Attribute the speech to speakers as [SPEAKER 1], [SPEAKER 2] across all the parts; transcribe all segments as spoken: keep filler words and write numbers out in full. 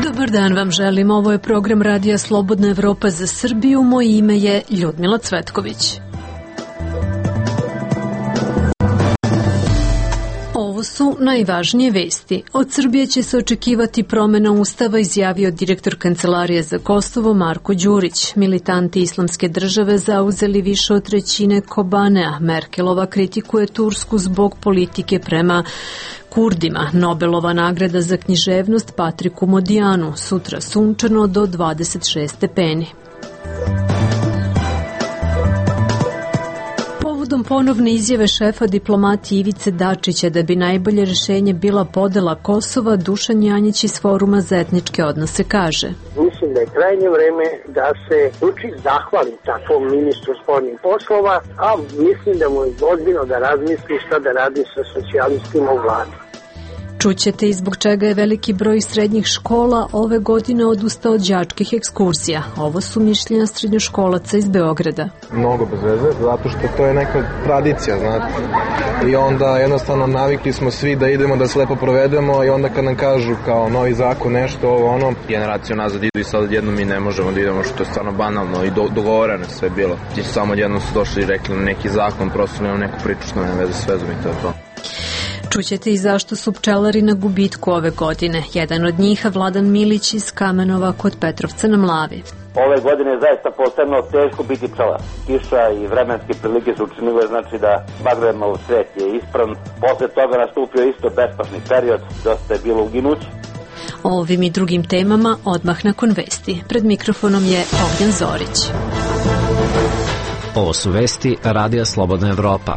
[SPEAKER 1] Dobar dan vam želim, ovo je program Radija Slobodna Evropa za Srbiju, moje ime je Ljudmila Cvetković. Ovo su najvažnije vesti. Od Srbije će se očekivati promena ustava, izjavio direktor Kancelarije za Kosovo Marko Đurić. Militanti Islamske države zauzeli više od trećine Kobanea. Merkelova kritikuje Tursku zbog politike prema Kurdima. Nobelova nagrada za književnost Patriku Modijanu. Sutra sunčano do dvadeset šest stepeni. Povodom ponovne izjave šefa diplomatije Ivice Dačića da bi najbolje rešenje bila podela Kosova, Dušan Janjić iz Foruma za etničke odnose kaže:
[SPEAKER 2] Mislim da je krajnje vreme da se Vučić zahvali takvom ministru spoljnih poslova, a mislim da mu je ozbiljno da razmisli šta da radi sa socijalistima u vladi.
[SPEAKER 1] Čućete i zbog čega je veliki broj srednjih škola ove godine odustao od đačkih ekskurzija. Ovo su mišljenja srednjoškolaca iz Beograda.
[SPEAKER 3] Mnogo bez veze, zato što to je neka tradicija, znate. I onda jednostavno navikli smo svi da idemo da se lepo provedemo i onda kad nam kažu kao novi zakon nešto, ovo ono.
[SPEAKER 4] Generaciju nazad idu i sad jednom mi ne možemo da idemo, što je stvarno banalno i do, dogovoreno sve bilo. Ti samo jednom su došli i rekli neki zakon, prosto nemam neku priču što nema veze s vezom i to je to.
[SPEAKER 1] Čućete i zašto su pčelari na gubitku ove godine. Jedan od njih, Vladan Milić iz Kamenova kod Petrovca na Mlavi.
[SPEAKER 5] Ove godine je zaista posebno teško biti pčelar. Kiša i vremenske prilike su učinile, znači da Bagramov svet je ispran. Posle toga nastupio isto bespašni period, dosta je bilo uginući.
[SPEAKER 1] O ovim i drugim temama odmah nakon vesti. Pred mikrofonom je Ognjen Zorić.
[SPEAKER 6] Ovo su vesti Radija Slobodna Evropa.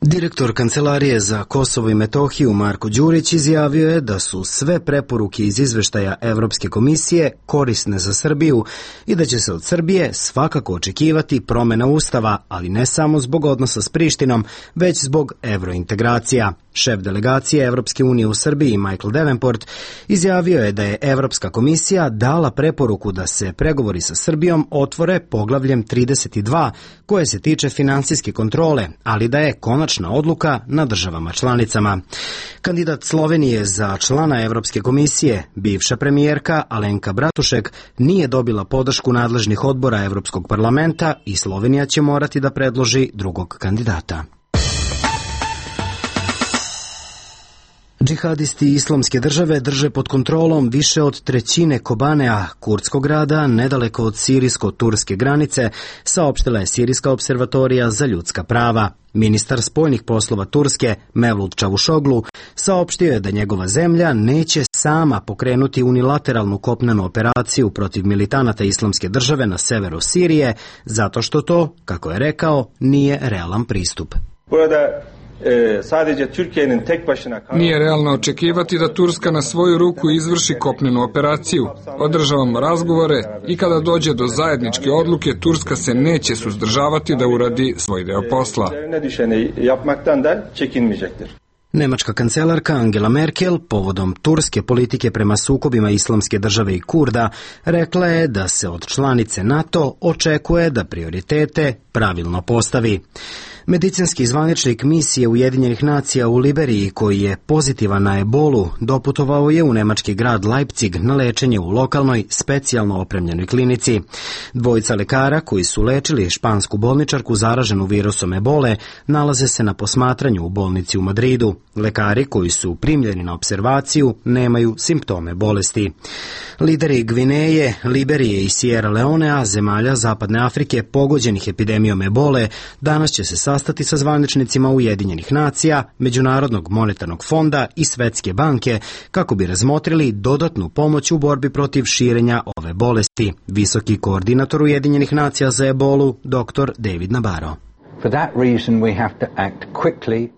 [SPEAKER 6] Direktor Kancelarije za Kosovo i Metohiju Marko Đurić izjavio je da su sve preporuke iz izveštaja Evropske komisije korisne za Srbiju i da će se od Srbije svakako očekivati promena ustava, ali ne samo zbog odnosa s Prištinom, već zbog evrointegracija. Šef delegacije Evropske unije u Srbiji, Michael Davenport, izjavio je da je Evropska komisija dala preporuku da se pregovori sa Srbijom otvore poglavljem trideset dva, koje se tiče finansijske kontrole, ali da je konačna odluka na državama članicama. Kandidat Slovenije za člana Evropske komisije, bivša premijerka Alenka Bratušek, nije dobila podršku nadležnih odbora Evropskog parlamenta i Slovenija će morati da predloži drugog kandidata. Džihadisti Islamske države drže pod kontrolom više od trećine Kobanea, kurdskog grada, nedaleko od sirijsko-turske granice, saopštila je Sirijska observatorija za ljudska prava. Ministar spoljnih poslova Turske, Mevlut Čavušoglu, saopštio je da njegova zemlja neće sama pokrenuti unilateralnu kopnenu operaciju protiv militanata Islamske države na severu Sirije, zato što to, kako je rekao, nije realan pristup.
[SPEAKER 7] Nije realno očekivati da Turska na svoju ruku izvrši kopnenu operaciju. Održavamo razgovore i kada dođe do zajedničke odluke, Turska se neće suzdržavati da uradi svoj deo posla.
[SPEAKER 6] Nemačka kancelarka Angela Merkel povodom turske politike prema sukobima Islamske države i Kurda rekla je da se od članice NATO očekuje da prioritete pravilno postavi. Medicinski zvaničnik misije Ujedinjenih nacija u Liberiji, koji je pozitivan na ebolu, doputovao je u nemački grad Leipzig na lečenje u lokalnoj, specijalno opremljenoj klinici. Dvojica lekara koji su lečili špansku bolničarku zaraženu virusom ebole nalaze se na posmatranju u bolnici u Madridu. Lekari koji su primljeni na observaciju nemaju simptome bolesti. Lideri Gvineje, Liberije i Sierra Leonea, zemalja Zapadne Afrike pogođenih epidemijom ebole, danas će se sastati sa zvaničnicima Ujedinjenih nacija, Međunarodnog monetarnog fonda i Svetske banke kako bi razmotrili dodatnu pomoć u borbi protiv širenja ove bolesti. Visoki koordinator Ujedinjenih nacija za ebolu, doktor David Nabarro.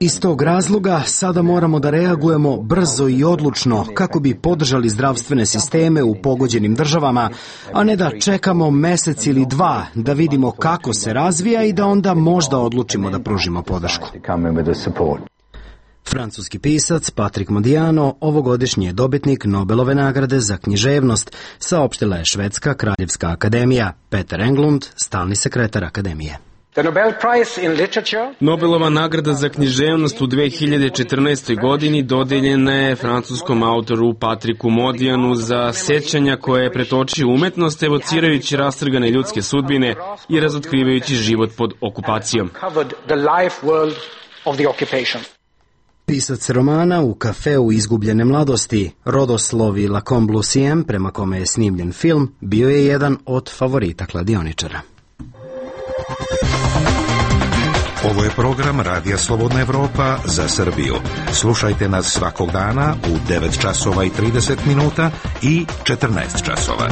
[SPEAKER 6] Iz tog razloga sada moramo da reagujemo brzo i odlučno kako bi podržali zdravstvene sisteme u pogođenim državama, a ne da čekamo mesec ili dva da vidimo kako se razvija i da onda možda odlučimo da pružimo podršku. Francuski pisac Patrick Modiano ovogodišnji je dobitnik Nobelove nagrade za književnost, saopštila je Švedska kraljevska akademija. Peter Englund, stalni sekretar akademije.
[SPEAKER 8] Nobelova nagrada za književnost u dve hiljade četrnaestoj. godini dodeljena je francuskom autoru Patriku Modijanu za sećanja koje je pretočio umetnost, evocirajući rastrgane ljudske sudbine i razotkrivajući život pod okupacijom.
[SPEAKER 6] Pisac romana U kafeu izgubljene mladosti, rodoslovi Lacombe Lucien, prema kome je snimljen film, bio je jedan od favorita kladioničara.
[SPEAKER 9] Ovo je program Radija Slobodna Evropa za Srbiju. Slušajte nas svakog dana u devet časova i trideset minuta i četrnaest časova.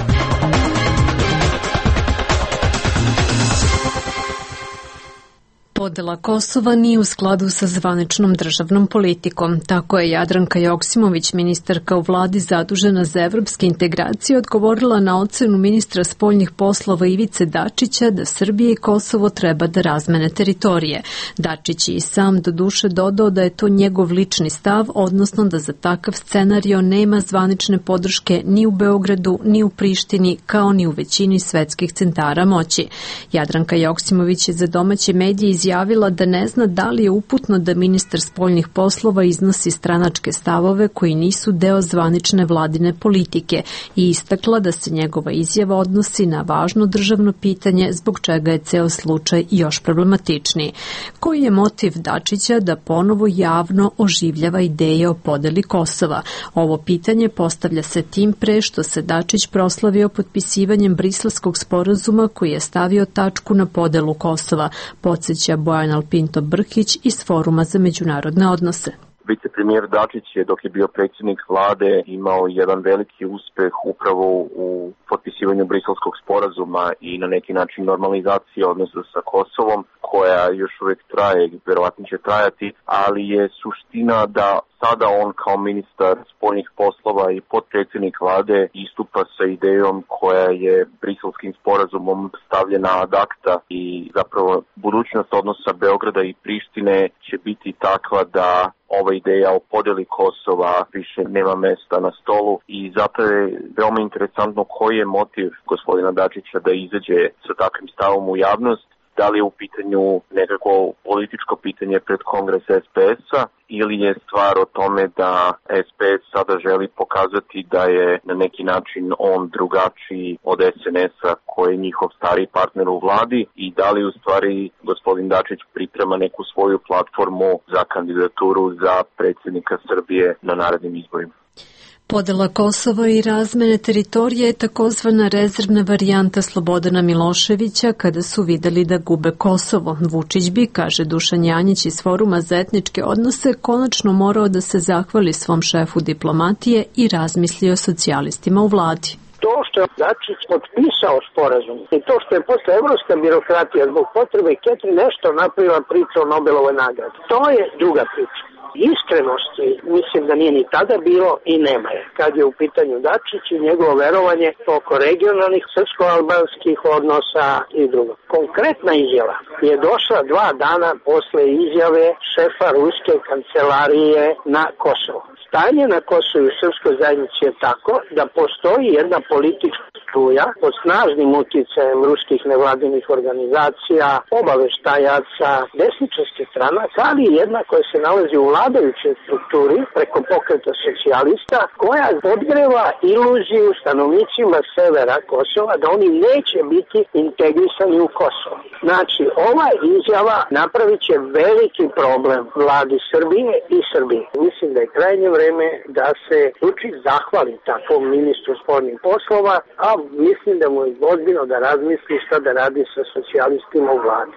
[SPEAKER 1] Podela Kosova nije u skladu sa zvaničnom državnom politikom. Tako je Jadranka Joksimović, ministarka u vladi zadužena za evropske integracije, odgovorila na ocenu ministra spoljnih poslova Ivice Dačića da Srbija i Kosovo treba da razmene teritorije. Dačić je i sam do duše dodao da je to njegov lični stav, odnosno da za takav scenario nema zvanične podrške ni u Beogradu, ni u Prištini, kao ni u većini svetskih centara moći. Jadranka Joksimović je za domaće medije izjavila izjavila da ne zna da li je uputno da ministar spoljnih poslova iznosi stranačke stavove koji nisu deo zvanične vladine politike i istakla da se njegova izjava odnosi na važno državno pitanje zbog čega je ceo slučaj još problematičniji. Koji je motiv Dačića da ponovo javno oživljava ideje o podeli Kosova? Ovo pitanje postavlja se tim pre što se Dačić proslavio potpisivanjem Briselskog sporazuma koji je stavio tačku na podelu Kosova, podsjeća Bojan Alpinto Brkić iz Foruma za međunarodne odnose.
[SPEAKER 10] Vicepremijer Dačić je, dok je bio predsjednik vlade, imao jedan veliki uspeh upravo u potpisivanju Briselskog sporazuma i na neki način normalizacije odnosa sa Kosovom, koja još uvijek traje i verovatno će trajati, ali je suština da sada on kao ministar spoljnih poslova i potpredsjednik vlade istupa sa idejom koja je Briselskim sporazumom stavljena ad acta i zapravo budućnost odnosa Beograda i Prištine će biti takva da ova ideja o podeli Kosova više nema mesta na stolu i zato je veoma interesantno koji je motiv gospodina Dačića da izađe sa takvim stavom u javnost. Da li je u pitanju nekako političko pitanje pred Kongres es pe es-a ili je stvar o tome da es pe es sada želi pokazati da je na neki način on drugačiji od es en es-a koji je njihov stari partner u vladi i da li u stvari gospodin Dačić priprema neku svoju platformu za kandidaturu za predsjednika Srbije na narednim izborima.
[SPEAKER 1] Podela Kosova i razmene teritorije je takozvana rezervna varijanta Slobodana Miloševića kada su videli da gube Kosovo. Vučić bi, kaže Dušan Janjić iz Foruma za etničke odnose, konačno morao da se zahvali svom šefu diplomatije i razmisli o socijalistima u vladi.
[SPEAKER 2] To što je Dačić potpisao sporazum i to što je posle evropska birokratija zbog potrebe Ketri nešto napravila priča o Nobelovoj nagradi, to je druga priča. Iskrenosti mislim da nije ni tada bilo i nema je kad je u pitanju Dačić i njegovo verovanje oko regionalnih srpsko-albanskih odnosa i drugo. Konkretna izjava je došla dva dana posle izjave šefa ruske kancelarije na Kosovo. Stanje na Kosovu i srpskoj zajednici je tako da postoji jedna politička struja pod snažnim uticajem ruskih nevladinih organizacija, obaveštajaca, desničarskih stranaka, ali i jedna koja se nalazi u vladajućoj strukturi preko pokreta socijalista, koja podgreva iluziju stanovnicima severa Kosova da oni neće biti integrisani u Kosovo. Znači, ova izjava napravit će veliki problem vladi Srbije i Srbije. Mislim da je krajnje vreme da se Vučić zahvali takvom ministru spoljnih poslova, a mislim da mu je ozbiljno da razmisli šta da radi sa socijalistima u vladi.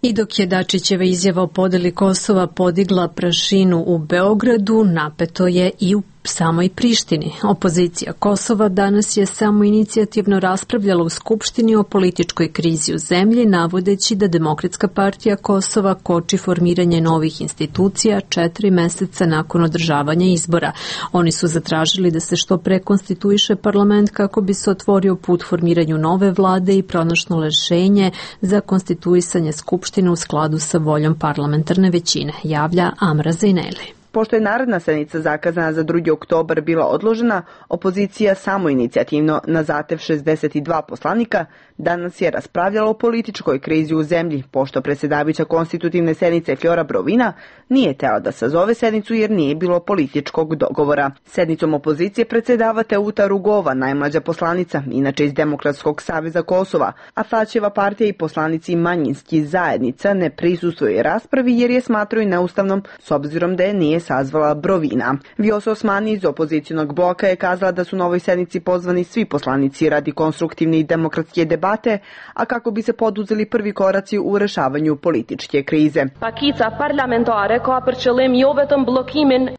[SPEAKER 1] I dok je Dačićeva izjava o podeli Kosova podigla prašinu u Beogradu, napeto je i u samoj Prištini. Opozicija Kosova danas je samo inicijativno raspravljala u Skupštini o političkoj krizi u zemlji, navodeći da Demokratska partija Kosova koči formiranje novih institucija četiri meseca nakon održavanja izbora. Oni su zatražili da se što pre konstituiše parlament kako bi se otvorio put formiranju nove vlade i pronašlo rešenje za konstituisanje Skupštine u skladu sa voljom parlamentarne većine, javlja Amra Zaineli.
[SPEAKER 11] Pošto je naredna sednica zakazana za drugi oktobar bila odložena, opozicija samoinicijativno na zahtev šezdeset dva poslanika danas je raspravljala o političkoj krizi u zemlji, pošto predsjedavajuća konstitutivne sednice Flora Brovina nije tela da sazove sednicu jer nije bilo političkog dogovora. Sednicom opozicije predsjedava Teuta Rugova, najmlađa poslanica, inače iz Demokratskog saveza Kosova, a Tačeva partija i poslanici manjinskih zajednica ne prisustvuju raspravi jer je smatraju neustavnom s obzirom da je nije sazvala Brovina. Vjosa Osmani iz opozicionog bloka je kazala da su na ovoj sednici pozvani svi poslanici radi konstruktivne i demokratske debate, a kako bi se poduzeli prvi koraci u rešavanju političke krize.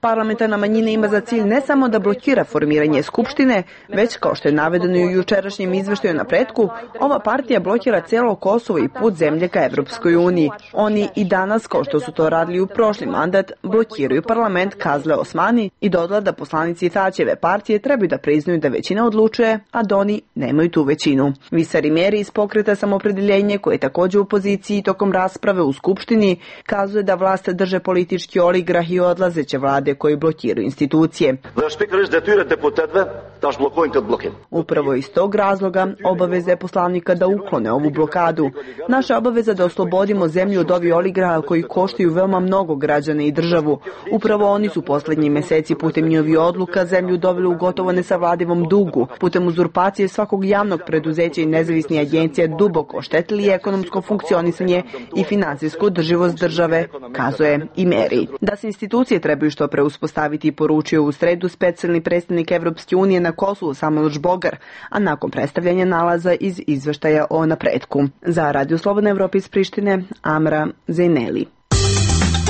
[SPEAKER 11] Parlamentarna manjina ima za cilj ne samo da blokira formiranje skupštine, već kao što je navedeno i u jučerašnjem izveštaju o napretku, ova partija blokira celo Kosovo i put zemlje ka Evropskoj uniji. Oni i danas, kao što su to radili u prošli mandat, blokiraju parlament, kazle Osmani i dodala da poslanici Tačeve partije trebaju da priznaju da većina odlučuje, a da oni nemaju tu većinu. Visari Meri iz pokreta Samopredeljenje, koji je također u poziciji tokom rasprave u Skupštini, kazuje da vlast drže politički oligrah i odlazeće vlade koji blokiraju institucije. Upravo iz tog razloga obaveza je poslanika da uklone ovu blokadu. Naša obaveza da oslobodimo zemlju od ovih oligraha koji koštaju veoma mnogo građana i državu. Upravo oni su poslednji meseci putem njihovih odluka zemlju doveli u gotovo nesavladivom dugu, putem uzurpacije svakog javnog preduzeća i nezavisnih agencija duboko oštetili ekonomsko funkcionisanje i finansijsku održivost države, kazuje i Meri. Da se institucije trebaju što pre uspostaviti, poručio u sredu specijalni predstavnik Evropske unije na Kosovu Samuel Žbogar, a nakon predstavljanja nalaza iz izveštaja o napretku. Za Radio Slobodna Evropa iz Prištine, Amra Zejneli.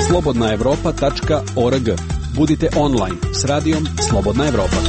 [SPEAKER 12] slobodna evropa tačka org. Budite online s radijom Slobodna Evropa.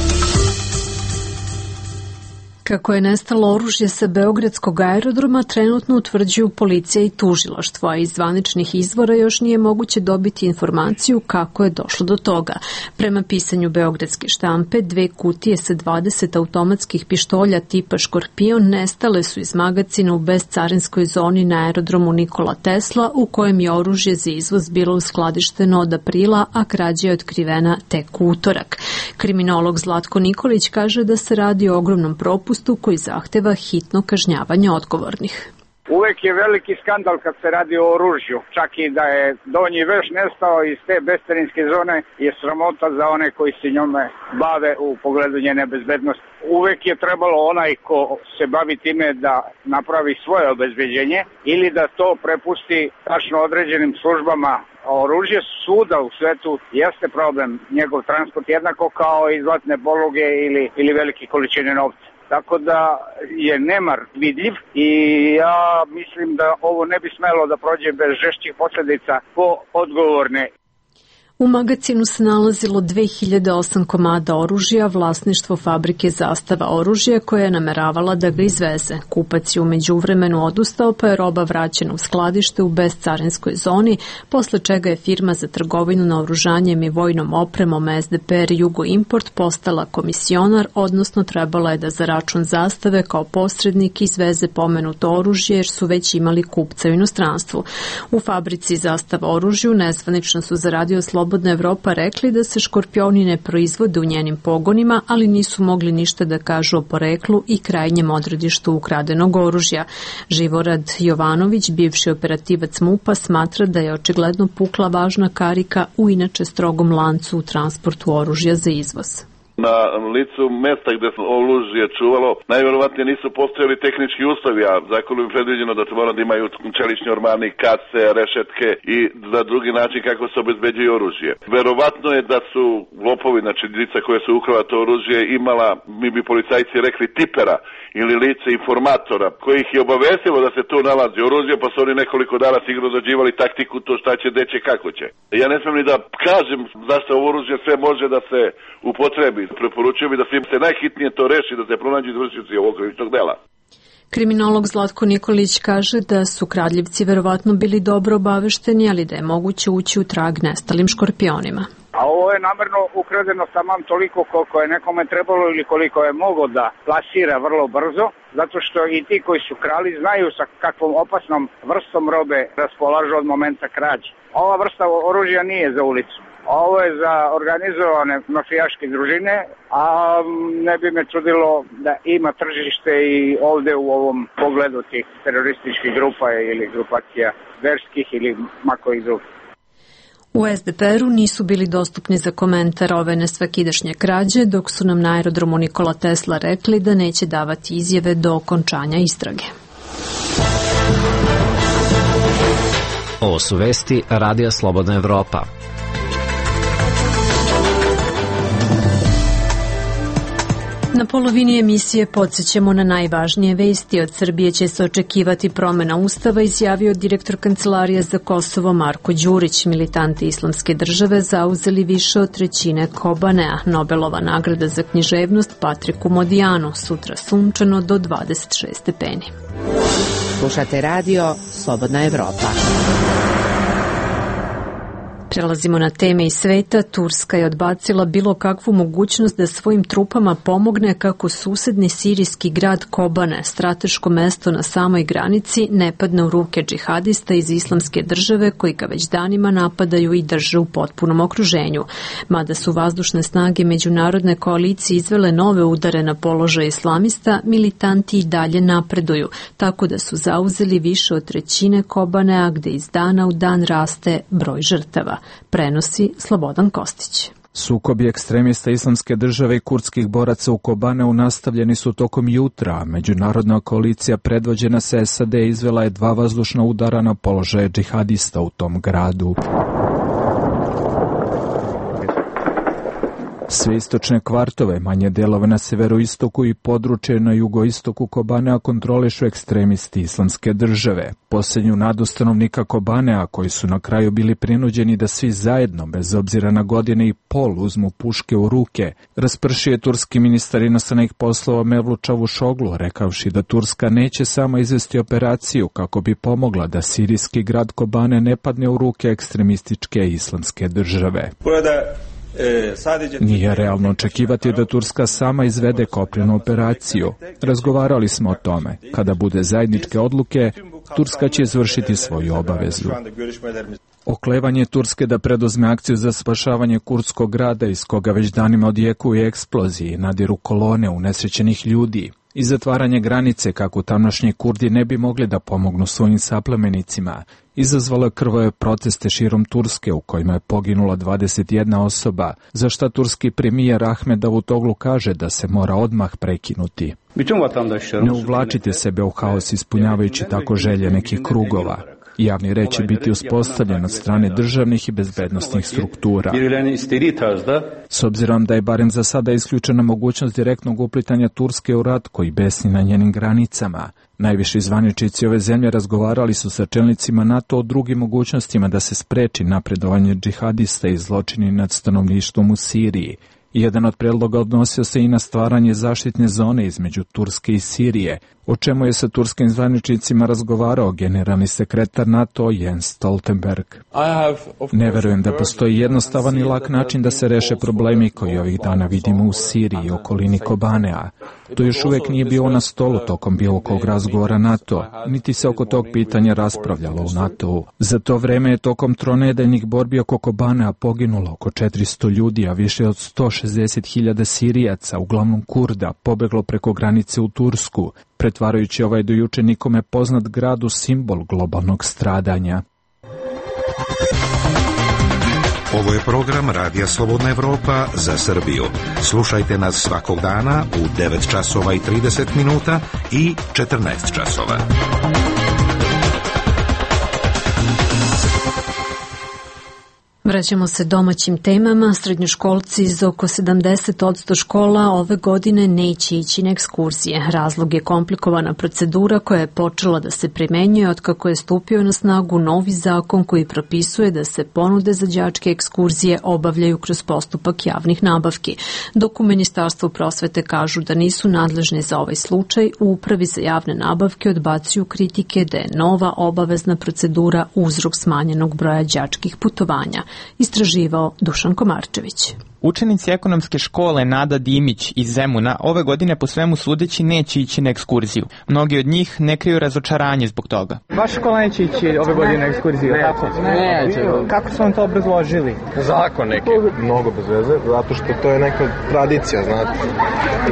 [SPEAKER 1] Kako je nestalo oružje sa Beogradskog aerodroma, trenutno utvrđuju policija i tužilaštvo, a iz zvaničnih izvora još nije moguće dobiti informaciju kako je došlo do toga. Prema pisanju beogradske štampe, dve kutije sa dvadeset automatskih pištolja tipa Škorpion nestale su iz magacina u bezcarinskoj zoni na aerodromu Nikola Tesla, u kojem je oružje za izvoz bilo uskladišteno od aprila, a krađa je otkrivena tek u utorak. Kriminolog Zlatko Nikolić kaže da se radi o ogromnom propustu koji zahteva hitno kažnjavanje odgovornih.
[SPEAKER 13] Uvek je veliki skandal kad se radi o oružju. Čak i da je donji veš nestao iz te bescarinske zone je sramota za one koji se njome bave u pogledu njene bezbednosti. Uvek je trebalo onaj ko se bavi time da napravi svoje obezbeđenje ili da to prepusti tačno određenim službama. Oružje svuda u svetu jeste problem, njegov transport jednako kao i zlatne poluge ili, ili velike količine novca. Tako da je nemar vidljiv i ja mislim da ovo ne bi smelo da prođe bez žešćih posljedica po odgovorne.
[SPEAKER 1] U magacinu se nalazilo dve hiljade osam komada oružja, vlasništvo fabrike Zastava oružja koja je nameravala da ga izveze. Kupac je u međuvremenu odustao, pa je roba vraćena u skladište u bezcarinskoj zoni, posle čega je firma za trgovinu naoružanjem i vojnom opremom S D P R Jugo Import postala komisionar, odnosno trebala je da za račun Zastave kao posrednik izveze pomenuto oružje jer su već imali kupca u inostranstvu. U fabrici Zastava oružju nezvanično su za Radio Slobodna Evropa rekli da se Škorpioni ne proizvode u njenim pogonima, ali nisu mogli ništa da kažu o poreklu i krajnjem odredištu ukradenog oružja. Živorad Jovanović, bivši operativac MUP-a, smatra da je očigledno pukla važna karika u inače strogom lancu u transportu oružja za izvoz.
[SPEAKER 14] Na licu mesta gde se oružje čuvalo, najverovatnije nisu postojali tehnički uslovi, a zakonom je predviđeno da mora da imaju čelični ormani, kase, rešetke i na drugi način kako se obezbeđuje oružje. Verovatno je da su lopovi, znači lica koje su ukrala to oružje, imala, mi bi policajci rekli, tipera ili lice informatora, koji ih je obavestilo da se tu nalazi oružje, pa su oni nekoliko dana sigurno dođivali taktiku to šta će, gde će, kako će. Ja ne smijem ni da kažem zašto ovo oružje sve može da se upotrebi. Preporučujem i da se najhitnije to reši, da se pronađu izvršioci ovog krivičnog dela.
[SPEAKER 1] Kriminolog Zlatko Nikolić kaže da su kradljivci verovatno bili dobro obavešteni, ali da je moguće ući u trag nestalim škorpionima.
[SPEAKER 13] A ovo je namerno ukradeno tamam toliko koliko je nekome trebalo ili koliko je mogo da plasira vrlo brzo, zato što i ti koji su krali znaju sa kakvom opasnom vrstom robe raspolažu od momenta krađe. Ova vrsta oružja nije za ulicu. Ovo je za organizovane mafijaške družine, a ne bi me čudilo da ima tržište i ovde u ovom pogledu tih terorističkih grupa ili grupacija verskih ili makojih drugih.
[SPEAKER 1] U es de pe er-u nisu bili dostupni za komentar ove nesvakidašnje krađe, dok su nam na aerodromu Nikola Tesla rekli da neće davati izjave do okončanja istrage.
[SPEAKER 15] Ovo su vesti Radija Slobodna Evropa.
[SPEAKER 1] Na polovini emisije podsjećamo na najvažnije vesti. Od Srbije će se očekivati promena ustava, izjavio direktor Kancelarije za Kosovo Marko Đurić. Militanti Islamske države zauzeli više od trećine Kobanea. Nobelova nagrada za književnost Patriku Modijanu. Sutra sunčano do dvadeset šest stepeni.
[SPEAKER 16] Slušate radio Slobodna Evropa.
[SPEAKER 1] Prelazimo na teme iz sveta. Turska je odbacila bilo kakvu mogućnost da svojim trupama pomogne kako susedni sirijski grad Kobane, strateško mesto na samoj granici, ne padne u ruke džihadista iz Islamske države koji ga već danima napadaju i drže u potpunom okruženju. Mada su vazdušne snage međunarodne koalicije izvele nove udare na položaj islamista, militanti i dalje napreduju, tako da su zauzeli više od trećine Kobanea, gde iz dana u dan raste broj žrtava. Prenosi Slobodan Kostić.
[SPEAKER 17] Sukobi ekstremista Islamske države i kurdskih boraca u Kobaneu nastavljeni su tokom jutra. Međunarodna koalicija predvođena sa es a de izvela je dva vazdušna udara na položaje džihadista u tom gradu. Sve istočne kvartove, manje delove na severoistoku i područje na jugoistoku Kobanea kontrolišu ekstremisti Islamske države. Posljednju nadu stanovnika Kobanea, koji su na kraju bili prinuđeni da svi zajedno, bez obzira na godine i pol, uzmu puške u ruke, raspršio je turski ministar inostranih poslova Mevlut Čavuşoglu, rekavši da Turska neće samo izvesti operaciju kako bi pomogla da sirijski grad Kobane ne padne u ruke ekstremističke Islamske države. Nije realno očekivati da Turska sama izvede kopnenu operaciju. Razgovarali smo o tome. Kada bude zajedničke odluke, Turska će izvršiti svoju obavezu. Oklevanje Turske da preduzme akciju za spašavanje kurdskog grada iz koga već danima odjekuju eksploziji i nadiru kolone unesrećenih ljudi i zatvaranje granice kako tamošnji Kurdi ne bi mogli da pomognu svojim saplemenicima, izazvalo je krvave proteste širom Turske u kojima je poginula dvadeset jedna osoba, za šta turski premijer Ahmed Davutoglu kaže da se mora odmah prekinuti. Ne uvlačite sebe u haos ispunjavajući tako želje nekih krugova. Javni red će biti uspostavljen od strane državnih i bezbednostnih struktura. S obzirom da je barem za sada isključena mogućnost direktnog uplitanja Turske u rat koji besni na njenim granicama, najviši zvaničnici ove zemlje razgovarali su sa čelnicima NATO o drugim mogućnostima da se spreči napredovanje džihadista i zločini nad stanovništvom u Siriji. Jedan od predloga odnosio se i na stvaranje zaštitne zone između Turske i Sirije, o čemu je sa turskim zvaničnicima razgovarao generalni sekretar NATO Jens Stoltenberg. Ne verujem da postoji jednostavan i lak način da se reše problemi koji ovih dana vidimo u Siriji i okolini Kobanea. To još uvijek nije bilo na stolu tokom bilo kog razgovora NATO, niti se oko tog pitanja raspravljalo u NATO-u. Za to vreme je tokom tronedeljnih borbi oko Kobanea poginulo oko četiristo ljudi, a više od sto šezdeset hiljada Sirijaca, uglavnom Kurda, pobeglo preko granice u Tursku, pretvarajući ovaj do juče nikome poznat grad u simbol globalnog stradanja.
[SPEAKER 9] Ovo je program Radija Slobodna Evropa za Srbiju. Slušajte nas svakog dana u devet časova i trideset minuta i četrnaest časova.
[SPEAKER 1] Vraćamo se domaćim temama. Srednjoškolci iz oko sedamdeset posto škola ove godine neće ići na ekskurzije. Razlog je komplikovana procedura koja je počela da se primenjuje otkako je stupio na snagu novi zakon koji propisuje da se ponude za đačke ekskurzije obavljaju kroz postupak javnih nabavki. Dok u Ministarstvu prosvete kažu da nisu nadležni za ovaj slučaj, u Upravi za javne nabavke odbacuju kritike da je nova obavezna procedura uzrok smanjenog broja đačkih putovanja. Istraživao Dušan Komarčević.
[SPEAKER 18] Učenici ekonomske škole Nada Dimić iz Zemuna ove godine po svemu sudeći neće ići na ekskurziju. Mnogi od njih ne kriju razočaranje zbog toga.
[SPEAKER 19] Vaša škola neće ići ove godine na ekskurziju,
[SPEAKER 3] ne,
[SPEAKER 19] tako?
[SPEAKER 3] Ne, neće.
[SPEAKER 19] Kako su vam to obrazložili?
[SPEAKER 3] Zakon neki. Mnogo bez veze, zato što to je neka tradicija, znate.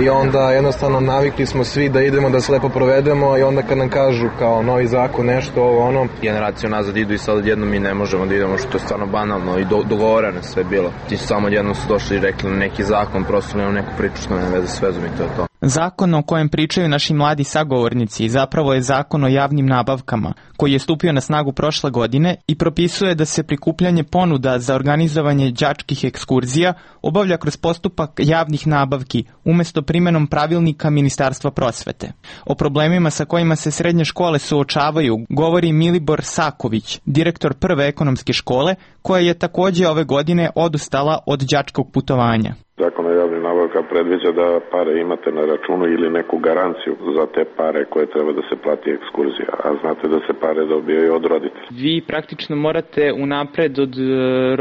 [SPEAKER 3] I onda jednostavno navikli smo svi da idemo da se lepo provedemo i onda kad nam kažu kao novi zakon, nešto, ovo, ono.
[SPEAKER 4] Generaciju nazad idu i sad jednom mi ne možemo da idemo, što je stvarno banalno i do, dogovoreno sve bilo. Ti su samo jednom su došli i rekli neki zakon, prosto nemam neku priču što nema veze s vezom i to je to.
[SPEAKER 18] Zakon o kojem pričaju naši mladi sagovornici zapravo je zakon o javnim nabavkama, koji je stupio na snagu prošle godine i propisuje da se prikupljanje ponuda za organizovanje đačkih ekskurzija obavlja kroz postupak javnih nabavki umesto primenom pravilnika Ministarstva prosvete. O problemima sa kojima se srednje škole suočavaju govori Milibor Saković, direktor prve ekonomske škole, koja je takođe ove godine odustala od đačkog putovanja.
[SPEAKER 20] Zakon o javnim nabavka predviđa da pare imate na računu ili neku garanciju za te pare koje treba da se plati ekskurzija, a znate da se pare dobijaju od roditelja.
[SPEAKER 18] Vi praktično morate unapred od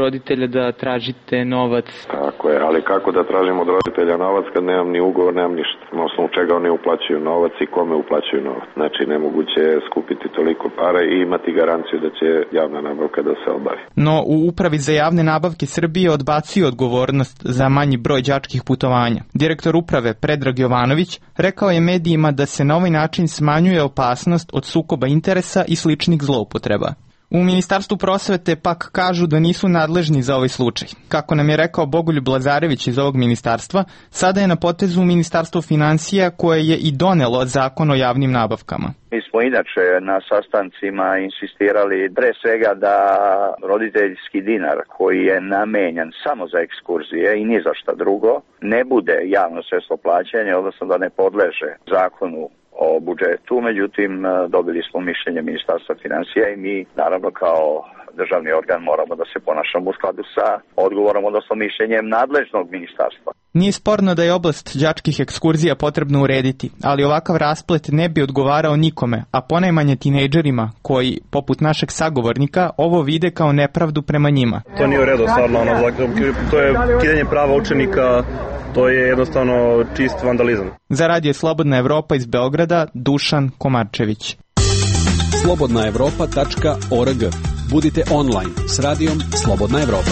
[SPEAKER 18] roditelja da tražite novac.
[SPEAKER 20] Tako je, ali kako da tražim od roditelja novac kad nemam ni ugovor, nemam ništa. Na osnovu čega oni uplaćuju novac i kome uplaćuju novac. Znači nemoguće je skupiti toliko pare i imati garanciju da će javna nabavka da se obavi.
[SPEAKER 18] No u Upravi za javne nabavke Srbije odbacuju odgovornost za manji broj đačkih putovanja. Direktor uprave Predrag Jovanović rekao je medijima da se na ovaj način smanjuje opasnost od sukoba interesa i sličnih zloupotreba. U Ministarstvu prosvete pak kažu da nisu nadležni za ovaj slučaj. Kako nam je rekao Bogoljub Lazarević iz ovog ministarstva, sada je na potezu Ministarstvo finansija koje je i donelo zakon o javnim nabavkama.
[SPEAKER 21] Mi smo inače na sastancima insistirali pre svega da roditeljski dinar koji je namenjen samo za ekskurzije i ni za šta drugo ne bude javno sredstvo plaćanja, odnosno da ne podleže zakonu o budžetu, međutim dobili smo mišljenje Ministarstva finansija i mi naravno kao državni organ moramo da se ponašamo u skladu sa odgovorom, odnosno mišljenjem nadležnog ministarstva.
[SPEAKER 18] Nije sporno da je oblast đačkih ekskurzija potrebno urediti, ali ovakav rasplet ne bi odgovarao nikome, a ponajmanje tinejdžerima koji, poput našeg sagovornika, ovo vide kao nepravdu prema njima.
[SPEAKER 22] To nije u redu, stvarno, ono, to je kidanje prava učenika, to je jednostavno čist vandalizam.
[SPEAKER 18] Za Radio Slobodna Evropa iz Beograda, Dušan Komarčević.
[SPEAKER 12] slobodna evropa tačka org. Budite online s radijom Slobodna Evropa.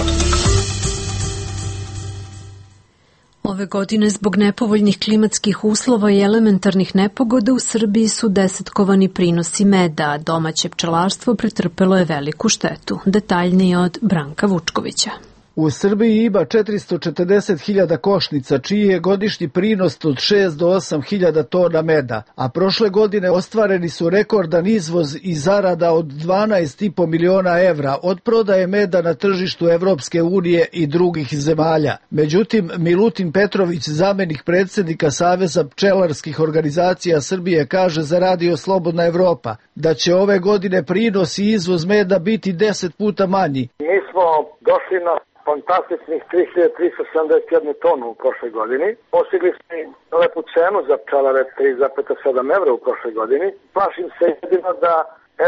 [SPEAKER 1] Ove godine zbog nepovoljnih klimatskih uslova i elementarnih nepogoda u Srbiji su desetkovani prinosi meda, a domaće pčelarstvo pretrpelo je veliku štetu. Detaljnije od Branka Vučkovića.
[SPEAKER 23] U Srbiji ima četiristo četrdeset hiljada košnica, čiji je godišnji prinos od šest do osam hiljada tona meda, a prošle godine ostvareni su rekordan izvoz i zarada od dvanaest i po miliona evra od prodaje meda na tržištu Evropske unije i drugih zemalja. Međutim, Milutin Petrović, zamenik predsjednika Saveza pčelarskih organizacija Srbije, kaže za Radio Slobodna Evropa da će ove godine prinos i izvoz meda biti deset puta manji.
[SPEAKER 24] Mi smo došli na fantastičnih tri hiljade tristo sedamdeset jednu tonu u prošloj godini. Postigli smo lepu cenu za pčelare tri zarez sedam evra u prošloj godini. Plašim se jedino da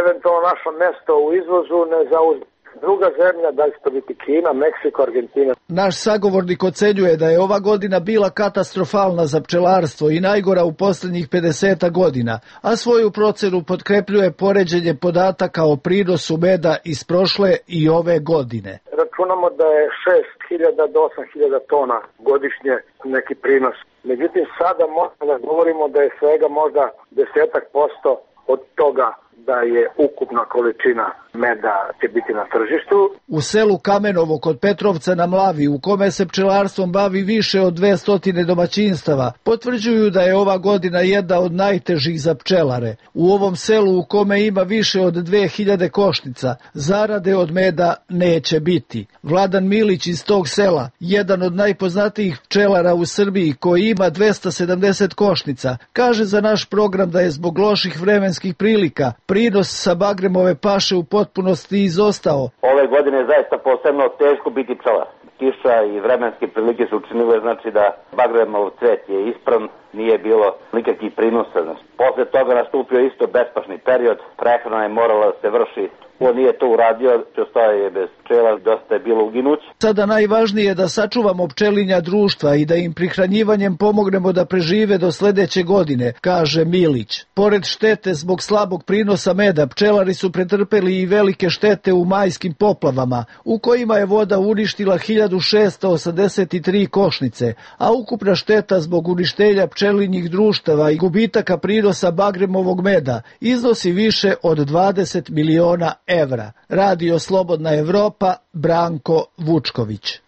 [SPEAKER 24] eventualno naše mesto u izvozu ne zauzme druga zemlja, da li će to biti Kina, Meksiko, Argentina.
[SPEAKER 23] Naš sagovornik ocenjuje da je ova godina bila katastrofalna za pčelarstvo i najgora u posljednjih pedeset godina, a svoju procenu potkrepljuje poređenje podataka o prinosu meda iz prošle i ove godine.
[SPEAKER 24] Računamo da je šest hiljada do osam hiljada tona godišnje neki prinos. Međutim, sada možemo da govorimo da je svega možda desetak posto od toga da je ukupna količina meda će biti na tržištu.
[SPEAKER 23] U selu Kamenovo kod Petrovca na Mlavi, u kome se pčelarstvom bavi više od dvesta domaćinstava, potvrđuju da je ova godina jedna od najtežih za pčelare. U ovom selu u kome ima više od dve hiljade košnica, zarade od meda neće biti. Vladan Milić iz tog sela, jedan od najpoznatijih pčelara u Srbiji koji ima dvesta sedamdeset košnica, kaže za naš program da je zbog loših vremenskih prilika prinos sa Bagremove paše u potpunosti izostao.
[SPEAKER 5] Ove godine je zaista posebno teško biti pčelar. kiša i vremenske prilike su učinile znači da Bagremov cvet je ispran, nije bilo nikakvih prinosa. Posle toga nastupio isto bespašni period, prehrana je morala da se vrši. Ko nije to uradio, ostao je bez pčela, dosta je bilo uginuće.
[SPEAKER 23] Sada najvažnije je da sačuvamo pčelinja društva i da im prihranjivanjem pomognemo da prežive do sledeće godine, kaže Milić. Pored štete zbog slabog prinosa meda, pčelari su pretrpeli i velike štete u majskim poplavama, u kojima je voda uništila hiljadu šessto osamdeset tri košnice, a ukupna šteta zbog uništenja pčelinjih društava i gubitaka prinosa bagremovog meda iznosi više od dvadeset miliona evra. Radio Slobodna Evropa, Branko Vučković.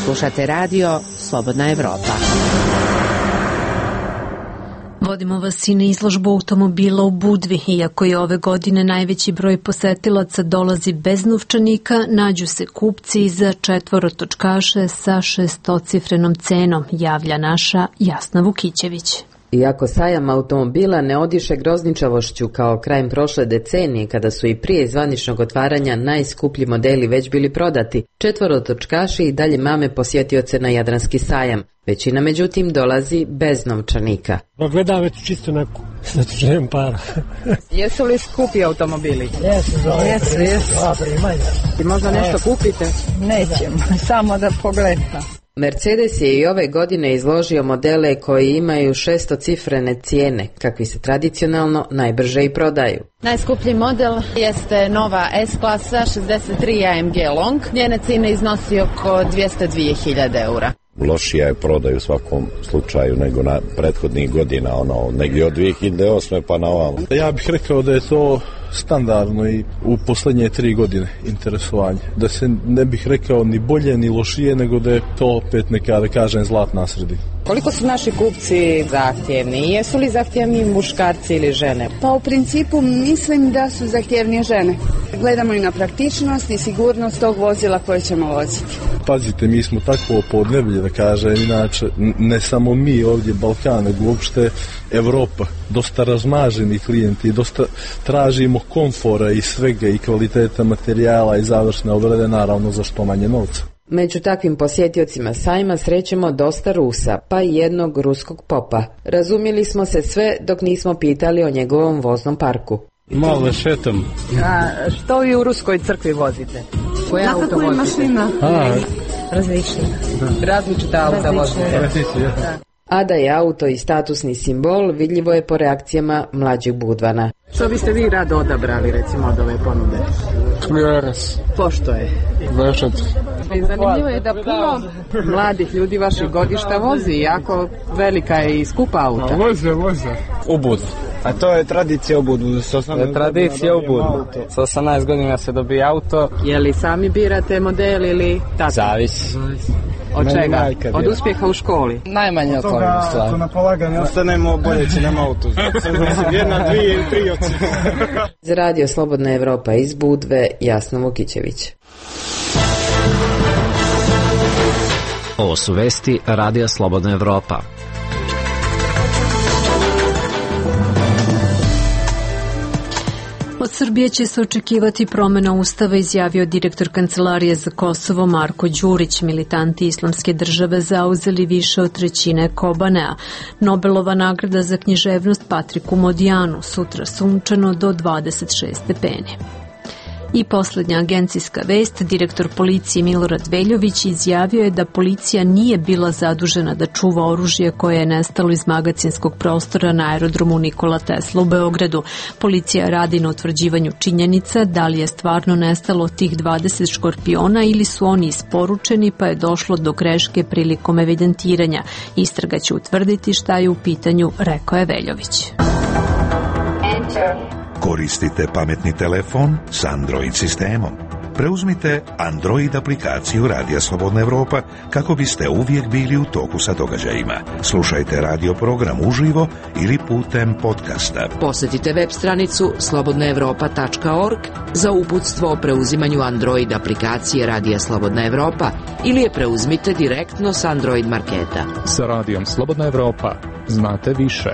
[SPEAKER 16] Slušate radio Slobodna Evropa.
[SPEAKER 1] Vodimo vas i na izložbu automobila u Budvi. Iako je ove godine najveći broj posetilaca dolazi bez novčanika, nađu se kupci za četvorotočkaše sa šestocifrenom cenom, javlja naša Jasna Vukićević.
[SPEAKER 6] Iako sajam automobila ne odiše grozničavošću kao krajem prošle decenije, kada su i prije zvaničnog otvaranja najskuplji modeli već bili prodati, četvorotočkaši i dalje mame posjetioce na Jadranski sajam. Većina međutim dolazi bez novčanika.
[SPEAKER 7] Gledam već čisto neku, zato što nemam para.
[SPEAKER 8] Jesu li skupi automobili?
[SPEAKER 7] Jesu, jesu, jesu.
[SPEAKER 8] I možda nešto kupite? Nećemo, samo da pogledam.
[SPEAKER 6] Mercedes je i ove godine izložio modele koji imaju šestocifrene cijene, kakvi se tradicionalno najbrže i prodaju.
[SPEAKER 8] Najskuplji model jeste nova S-klasa šezdeset tri A M G Long. Njene cijene iznosi oko dvjesto dvije hiljade eura.
[SPEAKER 10] Lošija je prodaj u svakom slučaju nego na prethodnih godina, ono, negdje od dvije hiljade osme pa na ovamo.
[SPEAKER 3] Ja bih rekao da je to standardno i u posljednje tri godine interesovanje. Da se ne bih rekao ni bolje ni lošije, nego da je to opet neka, da kažem, zlatna sredina.
[SPEAKER 8] Koliko su naši kupci zahtjevni? Jesu li zahtjevni muškarci ili žene?
[SPEAKER 25] Pa u principu mislim da su zahtjevnije žene. Gledamo i na praktičnost i sigurnost tog vozila koje ćemo voziti.
[SPEAKER 3] Pazite, mi smo takvo podneblje, da kažem, inače ne samo mi ovdje Balkan, nego uopšte Evropa, dosta razmaženi klijenti, dosta tražimo komfora i svega i kvaliteta materijala i završne obrade, naravno za što manje novca.
[SPEAKER 6] Među takvim posjetiocima sajma srećemo dosta Rusa, pa i jednog ruskog popa. Razumjeli smo se sve dok nismo pitali o njegovom voznom parku.
[SPEAKER 7] Malo šetam.
[SPEAKER 8] A što vi u ruskoj crkvi vozite? Koje
[SPEAKER 25] Znate
[SPEAKER 8] auto
[SPEAKER 25] koje
[SPEAKER 8] vozite?
[SPEAKER 25] mašina?
[SPEAKER 7] A,
[SPEAKER 25] Različite.
[SPEAKER 8] Različita auta vozite.
[SPEAKER 6] A da je auto i statusni simbol vidljivo je po reakcijama mlađih Budvana.
[SPEAKER 8] Što biste vi rado odabrali recimo od ove ponude?
[SPEAKER 7] Kljueras.
[SPEAKER 8] Pošto je?
[SPEAKER 7] Vešat.
[SPEAKER 8] I zanimljivo je da puno mladih ljudi vaših godišta vozi, jako velika je i skupa auta.
[SPEAKER 7] Voze, voze. U Budu.
[SPEAKER 26] A to je tradicija u Budu.
[SPEAKER 7] To je tradicija u Budu. Sa osamnaest godina se dobije auto.
[SPEAKER 8] Je li sami birate model ili tako?
[SPEAKER 26] Zavisi.
[SPEAKER 8] Od čega? Od uspjeha u školi?
[SPEAKER 26] Najmanje od toga stvari. Na polaganje ostanemo boljeći, nema auto. Jedna, dvije ili tri oci.
[SPEAKER 6] Za radio Slobodna Evropa iz Budve, Jasna Vukićević.
[SPEAKER 15] Ovo su vesti Radija Slobodna Evropa.
[SPEAKER 1] Od Srbije će se očekivati promjena ustava, izjavio direktor Kancelarije za Kosovo Marko Đurić. Militanti Islamske države zauzeli više od trećine Kobanea. Nobelova nagrada za književnost Patriku Modijanu, sutra sunčano do dvadeset šest stepeni. I posljednja agencijska vest, direktor policije Milorad Veljović izjavio je da policija nije bila zadužena da čuva oružje koje je nestalo iz magacinskog prostora na aerodromu Nikola Tesla u Beogradu. Policija radi na utvrđivanju činjenica da li je stvarno nestalo tih dvadeset škorpiona ili su oni isporučeni pa je došlo do greške prilikom evidentiranja. Istraga će utvrditi šta je u pitanju, rekao je Veljović.
[SPEAKER 9] Koristite pametni telefon s Android sistemom. Preuzmite Android aplikaciju Radija Slobodna Evropa kako biste uvijek bili u toku sa događajima. Slušajte radio program uživo ili putem podcasta.
[SPEAKER 16] Posjetite web stranicu slobodna evropa tačka org za uputstvo o preuzimanju Android aplikacije Radija Slobodna Evropa ili je preuzmite direktno s Android marketa.
[SPEAKER 17] Sa Radijom Slobodna Evropa znate više.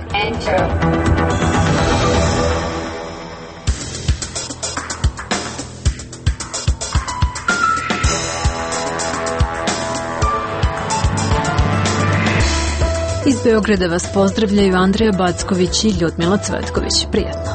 [SPEAKER 1] Beograda vas pozdravljaju Andreja Backović i Ljudmila Cvetković. Prijatno.